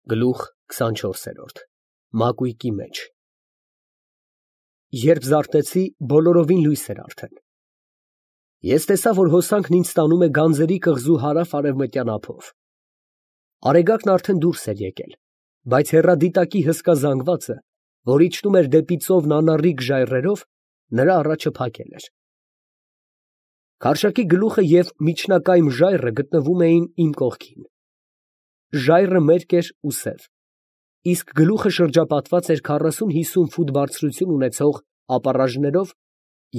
Գլուխ 24 Մակույկի մեջ Երբ զարթեցի, բոլորովին լույս էր արդեն։ Ես տեսա, որ հոսանքն ինձ տանում է գանձերի կղզու հարավ֊արևմտյան ափով։ Արեգակն արդեն դուրս էր եկել, բայց հեռադիտակի հսկա զանգվածը, որ իջնում էր դեպի ծովն անառիկ ժայռերով, նրա առաջը փակել էր։ Քարշակի գլուխը և միջնակայմ ժայռը գտնվում էին իմ կողքին։ Ժայռը մերկ էր ու սև, իսկ գլուխը շրջապատված էր 40-50 ֆուտ բարձրություն ունեցող ապառաժներով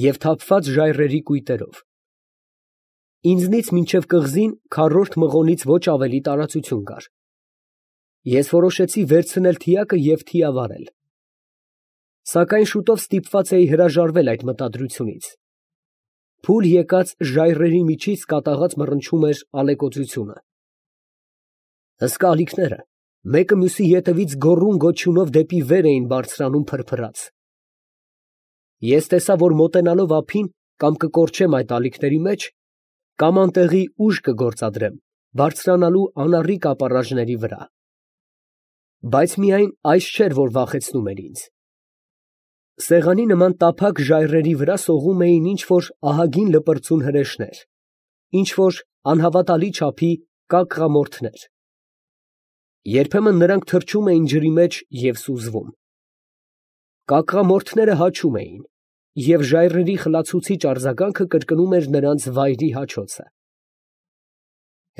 և թափված ժայռերի կույտերով։ Ինձնից մինչև կղզին քառորդ մղոնից ոչ ավելի տարածություն կար։ Ես որոշեցի վերցնել թիակը և թիավարել։ Սակայն շուտով ստիպված էի հրաժարվել այդ մտադրությունից։ Փուլ եկած ժայռերի միջից կատաղած մռնչում էր ալեկոծությունը։ Հսկա ալիքները մեկը մյուսի ետևից գոռում֊գոչյունով դեպի վեր էին բարձրանում փրփրած։ Ես տեսա, որ մոտենալով ափին կամ կկորչեմ այդ ալիքների մեջ, կամ անտեղի ուժ կգործադրեմ բարձրանալու անառիկ ապառաժների վրա։ Բայց միայն այս չէր, որ վախեցնում էր ինձ։ Սեղանի նման տափակ ժայռերի վրա սողում էին ինչ֊որ ահագին լպրծուն հրեշներ, ինչ֊որ անհավատալի չափի կակղամորթներ։ Երբեմն նրանք թռչում էին ջրի մեջ և սուզվում։ Կակղամորթները հաչում էին, և ժայռերի խլացուցիչ արձագանքը կրկնում էր նրանց վայրի հաչոցը։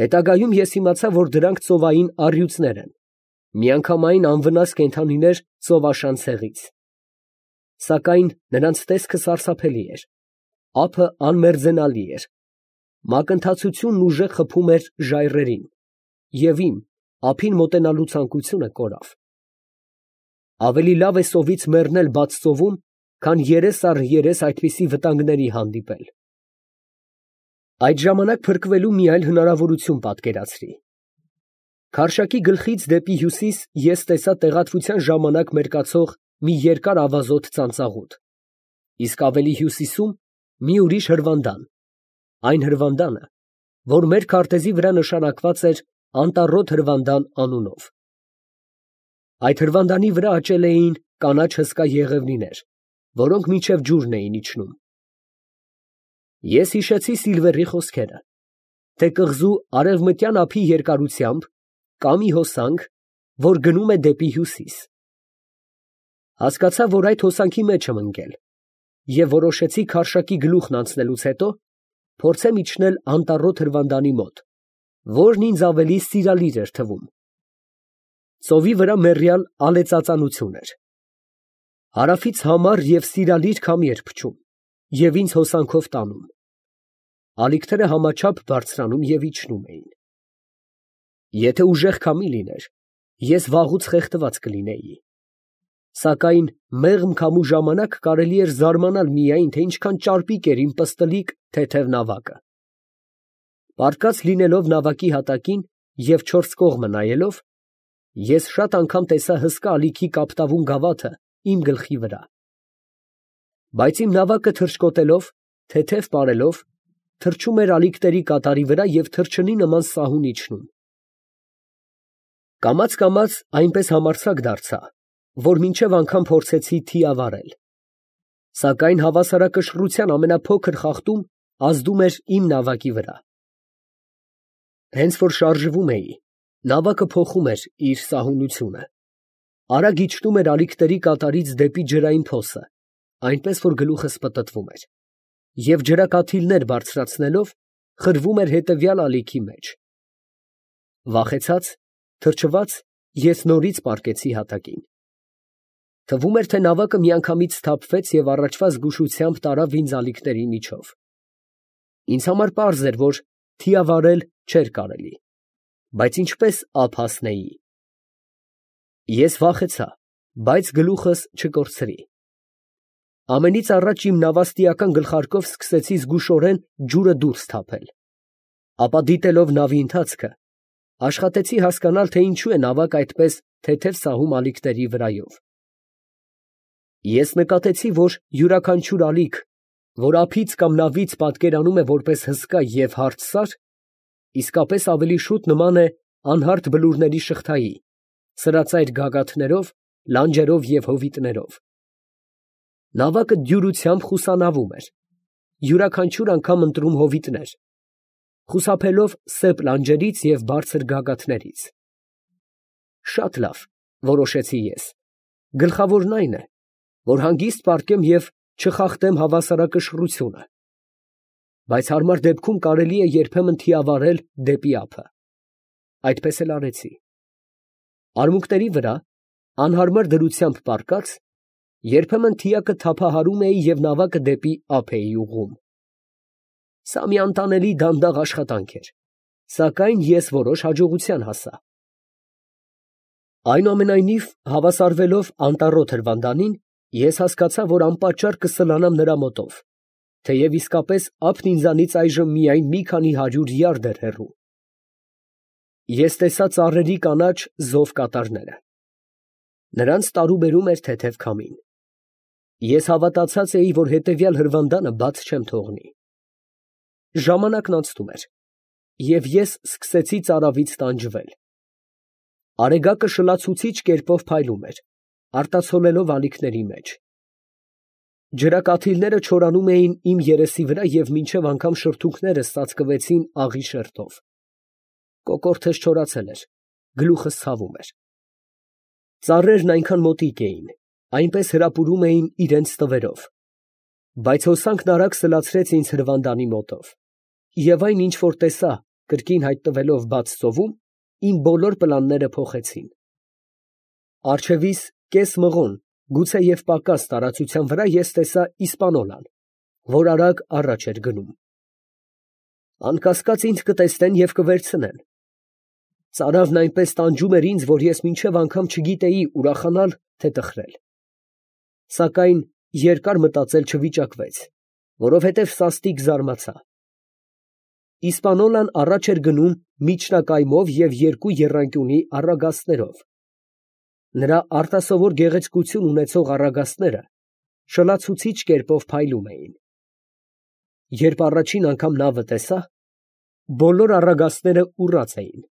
Հետագայում ես իմացա, որ դրանք ծովային առյուծներ են, միանգամայն անվնաս կենդանիներ ծովաշան ցեղից։ Սակայն նրանց տեսքը սարսափելի էր, ափը անմերձենալի էր, մակընթացությունն ուժեղ խփում էր ժայռերին, և իմ ափին մոտենալու ցանկությունը կորավ։ Ավելի լավ է սովից մեռնել բաց ծովում, քան երես առ երես այդպիսի վտանգների հանդիպել։ Այդ ժամանակ փրկվելու մի այլ հնարավորություն պատկերացրի։ Քարշակի գլխից դեպի հյուսիս ես տեսա տեղատվության ժամանակ մերկացող մի երկար ավազոտ ծանծաղուտ, իսկ ավելի հյուսիսում մի ուրիշ հրվանդան, այն հրվանդանը, որ մեր քարտեզի վրա նշանակված էր Անտառոտ հրվանդան անունով։ Այդ հրվանդանի վրա աճել էին կանաչ հսկա եղևնիներ, որոնք մինչև ջուրն էին իջնում։ Ես հիշեցի Սիլվերի խոսքերը, թե կղզու արևմտյան ափի երկարությամբ կա մի հոսանք, որ գնում է դեպի հյուսիս։ Հասկացա, որ այդ հոսանքի մեջ եմ ընկել, և որոշեցի քարշակի գլուխն անցնելուց հետո փորձեմ իջնել անտառոտ հրվանդանի մոտ, որն ինձ ավելի սիրալիր էր թվում։ Ծովի վրա մեռյալ ալեծածանություն էր։ Հարավից համառ և սիրալիր քամի էր փչում և ինձ հոսանքով տանում։ Ալիքները համաչափ բարձրանում և իջնում էին։ Եթե ուժեղ քամի լիներ, ես վաղուց խեղդված կլինեի։ Սակայն մեղմ քամու ժամանակ կարելի էր զարմանալ միայն, թե ինչքան ճարպիկ էր իմ պստլիկ թեթև նավակը։ Պառկած լինելով նավակի հատակին և չորս կողմը նայելով, ես շատ անգամ տեսա հսկա ալիքի կապտավուն գավաթը իմ գլխի վրա։ Բայց իմ նավակը թռչկոտելով, թեթև պարելով, թռչում էր ալիքների կատարի վրա և թռչնի նման սահուն իջնում։ Կամաց այնպես համարձակ դարձա, որ մինչև անգամ փորձեցի թիավարել։ Սակայն հավասարակշռության ամենափոքր խախտում ազդում էր իմ նավակի վրա։ Հենց որ շարժվում էի, նավակը փոխում էր իր սահունությունը, արագ իջնում էր ալիքների կատարից դեպի ջրային փոսը, այնպես որ գլուխս պտտվում էր, և ջրակաթիլներ բարձրացնելով, խրվում էր հետևյալ ալիքի մեջ։ Վախեցած, թրջված, ես նորից պառկեցի հատակին։ Թվում էր, թե նավակը միանգամից սթափվեց և առաջվա զգուշությամբ տարավ ինձ ալիքների միջով։ Ինձ համար պարզ էր, որ թիավարել չէր կարելի, բայց ինչպես ափ հասնեի։ Ես վախեցա, բայց գլուխս չկորցրի։ Ամենից առաջ իմ նավաստիական գլխարկով սկսեցի զգուշորեն ջուրը դուրս թափել, ապա դիտելով նավի ընթացքը, աշխատեցի հասկանալ, թե ինչու է նավակը այդպես թեթև սահում ալիքների վրայով։ Ես նկատեցի, որ յուրաքանչյուր ալիք, որ ափից կամ նավից պատկերանում է որպես հսկա և հարթ սար, իսկապես ավելի շուտ նման է անհարթ բլուրների շղթայի, սրածայր գագաթներով, լանջերով և հովիտներով։ Նավակը դյուրությամբ խուսանավում էր, յուրաքանչյուր անգամ ընտրում հովիտներ, խուսափելով սեպ լանջերից և բարձր գագաթներից։ Շատ լավ, որոշեցի ես, գլխավորն այն է, որ հանգիստ պառկեմ և չխախտեմ հավասարակշռությունը, բայց հարմար դեպքում կարելի է երբեմն թիավարել դեպի ափը։ Այդպես էլ արեցի։ Արմունկների վրա, անհարմար դրությամբ պառկած, երբեմն թիակը թափահարում էի և նավակը դեպի ափ էի ուղղում։ Սա մի անտանելի դանդաղ աշխատանք էր, սակայն ես որոշ հաջողության հասա։ Այնուամենայնիվ, հավասարվելով անտառոտ հրվանդանին, ես հասկացա, որ անպատճառ կսլանամ նրա մոտով, թեև իսկապես ափն ինձանից այժմ միայն մի քանի 100 յարդ էր հեռու։ Ես տեսա ծառերի կանաչ զով կատարները։ Նրանց տարուբերում էր թեթև քամին։ Ես հավատացած էի, որ հետևյալ հրվանդանը բաց չեմ թողնի։ Ժամանակն անցնում էր, և ես սկսեցի ծարավից տանջվել։ Արեգակը շլացուցիչ կերպով փայլում էր, արտացոլելով ալիքների մեջ։ Ջրակաթիլները չորանում էին իմ երեսի վրա և մինչև անգամ շրթունքներս ծածկվեցին աղի շերտով։ Կոկորդս չորացել էր, գլուխս ցավում էր։ Ծառերն այնքան մոտիկ էին, այնպես հրապուրում էին իրենց տվերով, բայց հոսանքն արագ սլացրեց ինձ հրվանդանի մոտով, և այն, ինչ որ տեսա, կրկին հայտնվելով բաց ծովում, իմ բոլոր պլանները փոխեցին։ Առջևիս կես մղոն, գուցեև պակաս տարածության վրա ես տեսա Իսպանոլան, որ արագ առաջ էր գնում։ Անկասկած ինձ կտեսնեն և կվերցնեն։ Ծարավն այնպես տանջում էր ինձ, որ ես մինչև անգամ չգիտեի ուրախանալ, թե տխրել։ Սակայն երկար մտածել չվիճակվեց, որովհետև սաստիկ զարմացա։ Իսպանոլան առաջ էր գնում միջնակայմով և երկու եռանկյունի առագաստներով։ Նրա արտասովոր գեղեցկություն ունեցող առագաստները շլացուցիչ կերպով փայլում էին։ Երբ առաջին անգամ նավը տեսա, բոլոր առագաստները ուռած էին։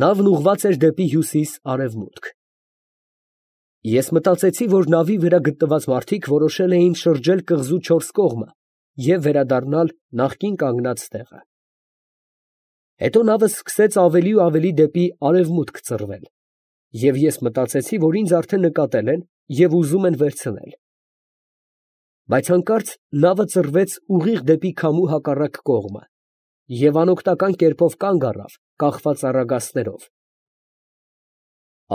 Նավն ուղղված էր դեպի հյուսիս֊արևմուտք։ Ես մտածեցի, որ նավի վրա գտնված մարդիկ որոշել էին շրջել կղզու չորս կողմը և վերադառնալ նախկին կանգնած տեղը։ Հետո նավը սկսեց ավելի ու ավելի դեպի արևմուտք ծռվել, և ես մտածեցի, որ ինձ արդեն նկատել են և ուզում են վերցնել։ Բայց հանկարծ նավը ծռվեց ուղիղ դեպի քամու հակառակ կողմը և անօգնական կերպով կանգ առավ, կախված առագաստներով։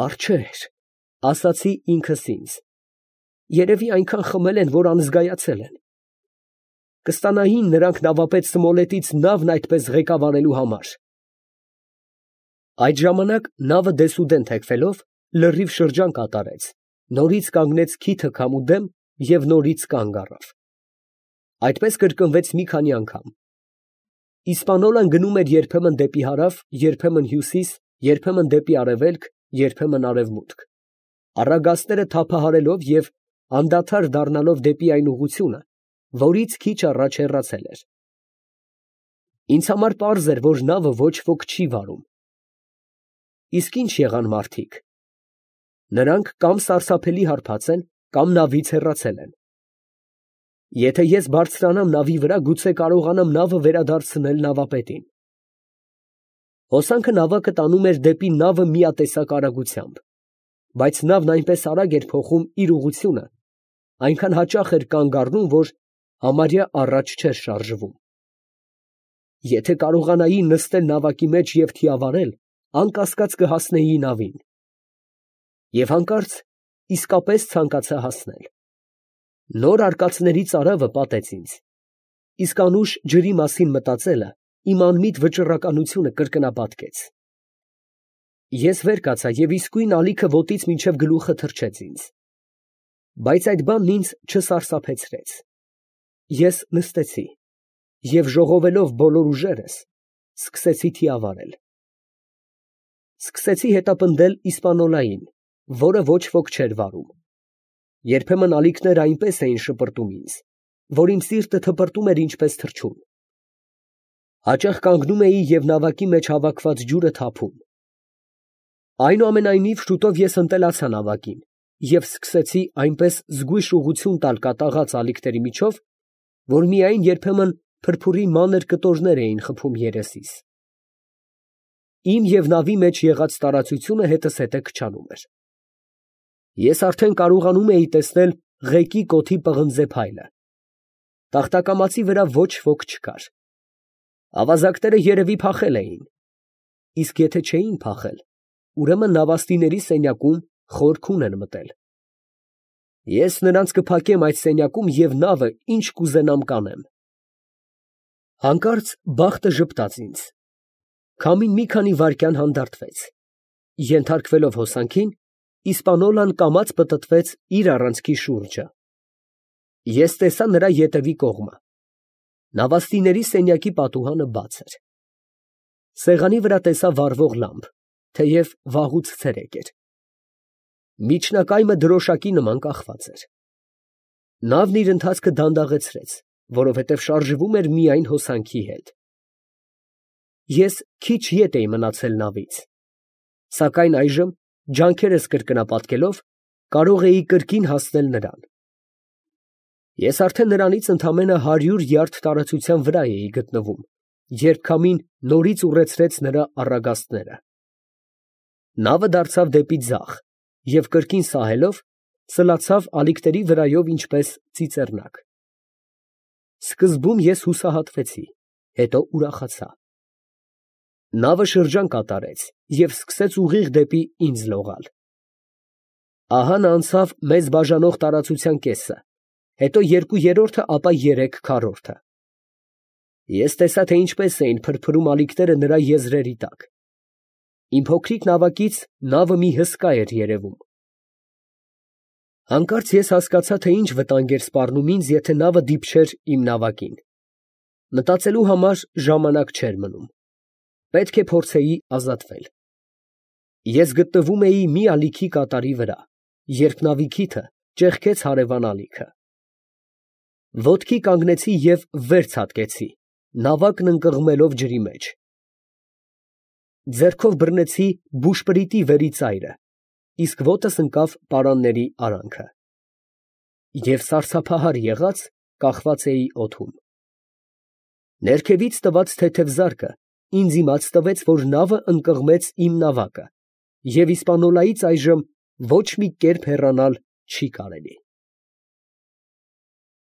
«Արջեր», ասացի ինքս ինձ, երևի այնքան խմել են, որ անզգայացել են։ Կստանային նրանք նավապետ Սմոլետից նավն այդպես ղեկավարելու համար։ Այդ ժամանակ նավը դեսուդեն թեքվելով, լրիվ շրջան կատարեց, նորից կանգնեց քիթը քամու դեմ և նորից կանգ առավ։ Այդպես կրկնվեց մի քանի անգամ։ Իսպանոլան գնում էր երբեմն դեպի հարավ, երբեմն հյուսիս, երբեմն դեպի արևելք, երբեմն արևմուտք, առագաստները թափահարելով և անդադար դառնալով դեպի այն ուղղությունը, որից քիչ առաջ հեռացել էր։ Ինձ համար պարզ էր, որ նավը ոչ ոք չի վարում։ Իսկ ի՞նչ եղան մարդիկ։ Նրանք կամ սարսափելի հարբած են, կամ նավից հեռացել են։ Եթե ես բարձրանամ նավի վրա, գուցե կարողանամ նավը վերադարձնել նավապետին։ Հոսանքը նավակը տանում էր դեպի նավը միատեսակ արագությամբ, բայց նավն այնպես արագ էր փոխում իր ուղղությունը, այնքան հաճախ էր կանգ առնում, որ համարյա առաջ չէր շարժվում։ Եթե կարողանայի նստել նավակի մեջ և թիավարել, անկասկած կհասնեի նավին։ Եվ հանկարծ իսկապես ցանկացա հասնել։ Նոր արկածների ծարավը պատեց ինձ, իսկ անուշ ջրի մասին մտածելը իմ անմիտ վճռականությունը կրկնապատկեց։ Ես վեր կացա և իսկույն ալիքը ոտից մինչև գլուխը թռչեց ինձ։ Բայց այդ բանն ինձ չսարսափեցրեց։ Ես նստեցի և ժողովելով բոլոր ուժերս, սկսեցի թիավարել։ Սկսեցի հետապնդել Իսպանոլային, որը ոչ ոք չէր վարում։ Երբեմն ալիքները այնպես էին շպրտում ինձ, որ իմ սիրտը թպրտում էր ինչպես թռչուն։ Հաճախ կանգնում էի և նավակի մեջ հավաքված ջուրը թափում։ Այնուամենայնիվ շուտով ես ընտելացա նավակին և սկսեցի այնպես զգույշ ուղղություն տալ կատաղած ալիքների միջով, որ միայն երբեմն փրփուրի մանր կտորներ էին խփում երեսիս։ Իմ և նավի մեջ եղած տարածությունը հետզհետե քչանում էր։ Ես արդեն կարողանում էի տեսնել ղեկի կոթի պղնձե փայլը։ Տախտակամածի վրա ոչ ոք չկար։ Ավազակները երևի փախել էին, իսկ եթե չէին փախել, ուրեմն նավաստիների սենյակում խոր քուն են մտել։ Ես նրանց կփակեմ այդ սենյակում և նավը ինչ կուզենամ կանեմ։ Հանկարծ բախտը ժպտաց ինձ։ Քամին մի քանի վայրկյան հանդարտվեց։ Ենթարկվելով հոսանքին, իսպանոլան կամաց պտտվեց իր առանցքի շուրջը։ Ես տեսա նրա ետևի կողմը։ Նավաստիների սենյակի պատուհանը բաց էր։ Սեղանի վրա տեսա վառվող լամպ, թեև վաղուց ցերեկ էր։ Միջնակայմը դրոշակի նման կախված էր։ Նավն իր ընթացքը դանդաղեցրեց, որովհետև շարժվում էր միայն հոսանքի հետ։ Ես քիչ ետ էի մնացել նավից, սակայն այժմ, ջանքերս կրկնապատկելով, կարող էի կրկին հասնել նրան։ Ես արդեն նրանից ընդամենը 100 յարդ տարածության վրա էի գտնվում, երբ քամին նորից ուռեցրեց նրա առագաստները։ Նավը դարձավ դեպի ձախ և կրկին սահելով, սլացավ ալիքների վրայով ինչպես ծիծեռնակ։ Սկզբում ես հուսահատվեցի, հետո ուրախացա։ Նավը շրջան կատարեց և սկսեց ուղիղ դեպի ինձ լողալ։ Ահա նա անցավ մեզ բաժանող տարածության կեսը, հետո 2/3, ապա 3/4։ Ես տեսա, թե ինչպես էին փրփրում ալիքները նրա եզրերի տակ։ Իմ փոքրիկ նավակից նավը մի հսկա էր երևում։ Հանկարծ ես հասկացա, թե ինչ վտանգ էր սպառնում ինձ, եթե նավը դիպչեր իմ նավակին։ Մտածելու համար ժամանակ չէր մնում։ Պետք է փորձեի ազատվել։ Ես գտնվում էի մի ալիքի կատարի վրա, երբ նավի քիթը ճեղքեց հարևան ալիքը։ Ոտքի կանգնեցի և վեր ցատկեցի, նավակն ընկղմելով ջրի մեջ։ Ձեռքով բռնեցի բուշպրիտի վերի ծայրը, իսկ ոտս ընկավ պարանների արանքը։ Եվ սարսափահար եղած, կախված էի օդում։ Ներքևից տված թեթև զարկը ինձ իմաց տվեց, որ նավը ընկղմեց իմ նավակը, և իսպանոլայից այժմ ոչ մի կերպ հեռանալ չի կարելի։